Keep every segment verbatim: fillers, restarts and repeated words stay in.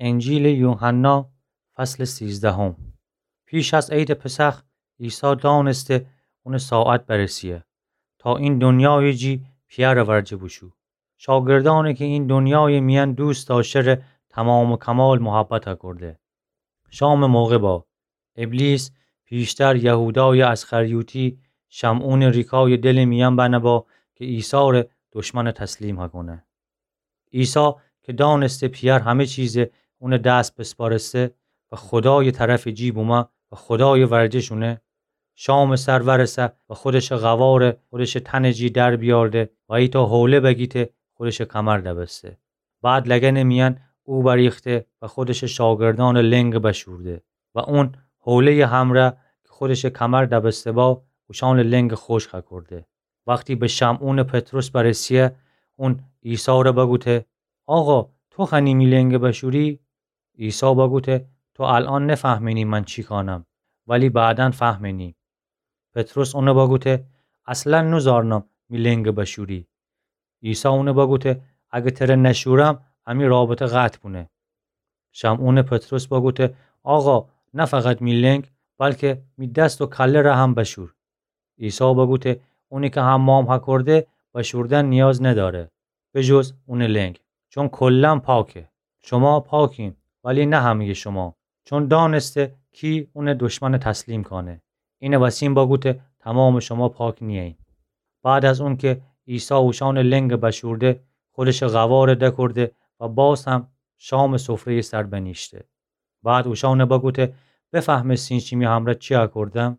انجیلٚ یوحنا، فصلٚ سیزدهم. پیش از عیدٚ پسخ عیسی دانسته اونٚ ساعت برسیه تا این دونیایٚ جی پی‌یأرٚ ورجه بوشو. شاگردأنی کی این دونیایٚ میأن دوست دأشته‌ره تمام و کمال محبت کرده. شامٚ موقع با. ابلیس پیشتر یهودایٚ اسخریوطی، شمعونٚ ریکایٚ دلٚ میأن بنه با کی عیسی‌ره دشمن تسلیم هکونه. عیسی کی دانسته پی‌یأر همه چیزٚ اونٚ دس بسپارسته و خودایٚ طرفٚ جی بومه و خودایٚ ورجه شونه، شامٚ سر ورسه و خودشٚ قوارٚ خودشٚ تنٚ جی در بیأرده و ایتأ حوله بگیته خودشٚ کمر دبسته. بعد لگنٚ میأن اوبریخته و خودشٚ شاگردأنٚ لنگ بشورده و اون حوله‌یٚ همرأ کی خودشٚ کمر دبسته با، اوشأنٚ لنگ خوشک کرده. وختی به شمعونٚ پطرس برسیه، اون عیسی‌ره بگوته: «آقا، تو خوأنی می لنگ بشوری؟» عیسی بگوته: «تو الأن نفهمینی من چی کانم، ولی بعداً فهمینی.» پطرس اونه بگوته: «اصلاً نوزارنم می لنگ بشوری.» عیسی اونه بگوته: «اگه تره نشورم، امی رابطه قطع بونه.» شمعونٚ پطرس بگوته: «آقا، نه فقط می لنگ، بلکه می دست و کله ره هم بشور.» عیسی بگوته: «اونی که حمام هکرده، بشوردن نیاز نداره، به جز اونٚ لنگ، چون کلاً پاکه. شما پاکین، ولی نه همه‌یٚ شما، چون دانسته کی اونٚ دشمن تسلیم کانه. اینٚ وسین بگوته تمامٚ شما پاک نییین.» بعد از اونکه عیسی اوشأنٚ لنگ بشورده، خودشٚ قوار دکرده و باز هم شامٚ سفره‌یٚ سر بنیشته. بعد اوشأن بگوته: «بفهمستین شیمی همرأ چی هکردم؟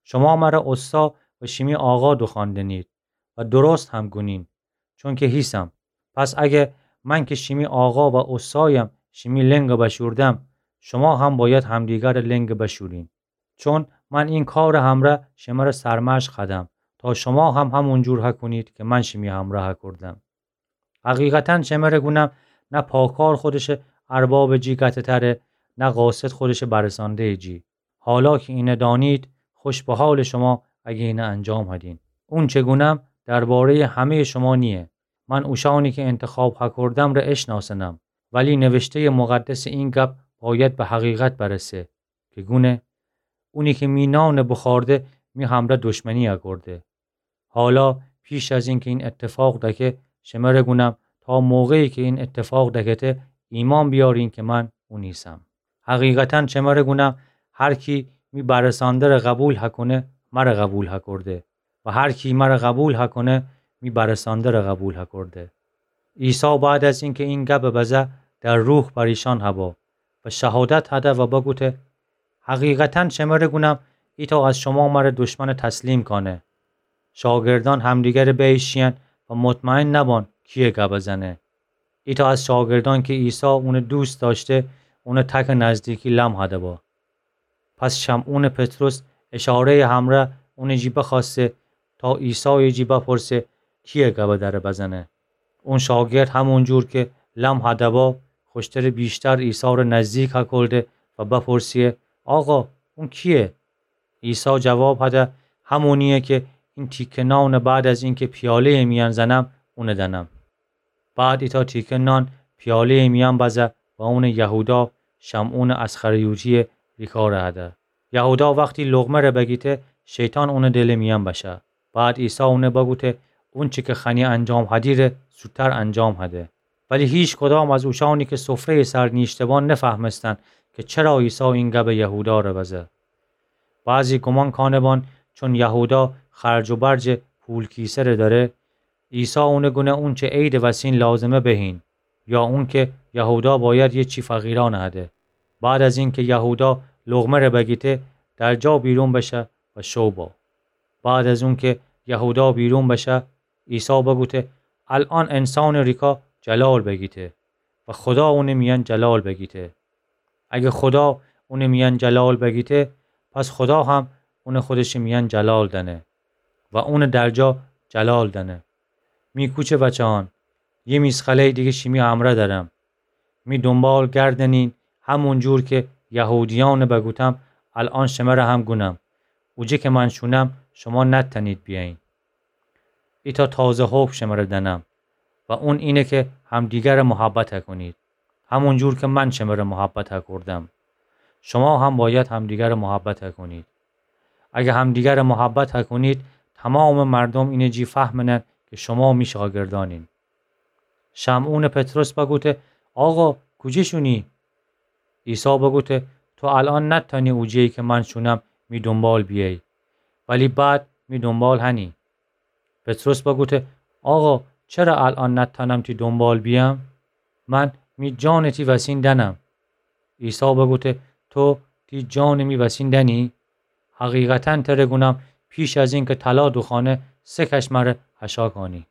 شما مرأ اوستا و شیمی آقا دوخواندنید و درست هم گونین، چونکه هیسم. پس اگه من که شیمی آقا و اوستایم شیمی لنگ بشوردم، شما هم باید همدیگرٚ لنگ بشورین. چون من این کارٚ همرأ شمرأ سرمشق هدم، تا شما هم همون جور هکونید که من شیمی همرأ هکردم. حقیقتاً شمرأ گونم، نه پاکار خودشٚ اربابٚ جی گته‌تره، نه قاصد خودشٚ برسانده‌یٚ جی. حالا که اینه دانید، خوش به حالٚ شما اگه اینه انجام هدین. اونچه گونم درباره‌یٚ همه‌یٚ شما نییه. من اوشأنی که انتخاب هکردم ره اشناسنم، ولی نوشته‌یٚ مقدس این گپ باید به حقیقت برسه که گونه: اونی که می نان بوخورده، می همرأ دشمنی هکرده. حالا پیش از اینکه این اتفاق دکه، شمرأ گونم، تا موقعی که این اتفاق دکته، ایمأن بیارین که من اون ایسم. حقیقتاً شمرأ گونم، هر کی می برسانده ره قبول هکونه، مرأ قبول هکرده، و هر کی مرأ قبول هکونه، می برسانده ره قبول هکرده.» عیسی بعد از اینکه این گب بزه، در روح پریشان هبا و شهادت هده و بگوته: «حقیقتاً شمرأ گونم، ایتأ از شما مرأ دشمن تسلیم کانه.» شاگردأن همدیگرٚ بیشیین و مطمئن نبان کیه گب زنه. ایتأ از شاگردأن که عیسی اونٚ دوست دأشته، اونٚ تکٚ نزدیکی لم هده با. پس شمعونٚ پطرس اشاره‌یٚ همرأ اونٚ جی بخوأسته تا عیسایٚ جی بپرسه کیه گب دره بزنه. اون شاگرد همون جور که لم هده با، خوشترٚ بیشتر عیسی ره نزدیک هکلده و بپرسیه: «آقا، اون کیه؟» عیسی جواب هده: «همونیه که این تیکه نان بعد از اینکه پیاله‌یٚ میأن زنم، اونه دنم.» بعد ایتأ تیکه نان پیاله‌یٚ میأن بزه و اونٚ یهودا، شمعونٚ اسخریوطی‌یٚ ریکار هده. یهودا وختی لقمه ره بگیته، شیطان اونٚ دلٚ میأن بشه. بعد عیسی اونه بگوته: «اونچه که خوأنی انجام هدی ره زودتر انجام هده.» ولی هیچ کدام از اوشأنی که سفره‌یٚ سر نیشته‌بان نفهمستن که چرا عیسی این گب یهودا ره بزه. بعضی گمان کانه‌بان چون یهودا خرج و برجٚ پول کیسه ره دأره، عیسی اونه گونه اونچه عیدٚ وسین لازمه بهین، یا اونکه یهودا باید یه چی فقیرأن هده. بعد از اینکه یهودا لقمه ره بگیته، در جا بیرون بشه و شو با. بعد از اونکه یهودا بیرون بشه، عیسی بگوته: «الأن انسانٚ ریکا جلال بگیته و خودا اونٚ میأن جلال بگیته. اگه خودا اونٚ میأن جلال بگیته، پس خودا هم اونٚ خودشٚ میأن جلال دأنه و اونٚ در جا جلال دأنه.» می کوچه بچه‌یأن، یه میسقله‌یٚ دیگه شیمی همرأ دأرم. می دونبال گردنین، همون جور که یهودیأنٚ بگوتم، الأن شمره هم گونم: اوجه که من شونم، شما نتأنید بیأیین. ایتأ تازه حکم شمره دأنم و اون اینه که همدیگره محبت کنید. همون جور که من شمره محبت هکردم، شما هم باید همدیگره محبت هکنید. اگه همدیگره محبت هکنید، تمامٚ مردم اینه جی فهمنن که شما می شاگردانین. شمعونٚ پطرس بگوته: آقا، کوجه شونی؟ عیسی بگوته: تو الأن نتأنی اوجه‌یی که من شونم می دونبال بیأیی، ولی بعد می دونبال هنی. پطرس بگوته: آقا، چره الأن نتأنم تی دونبال بیأم؟ من می جانٚ تی وسین دأنم. عیسی بگوته: تو تی جانٚ می وسین دأنی؟ حقیقتاً تره گونم، پیش از اینکه طلا دوخوأنه، سه کش مره خشا کانی.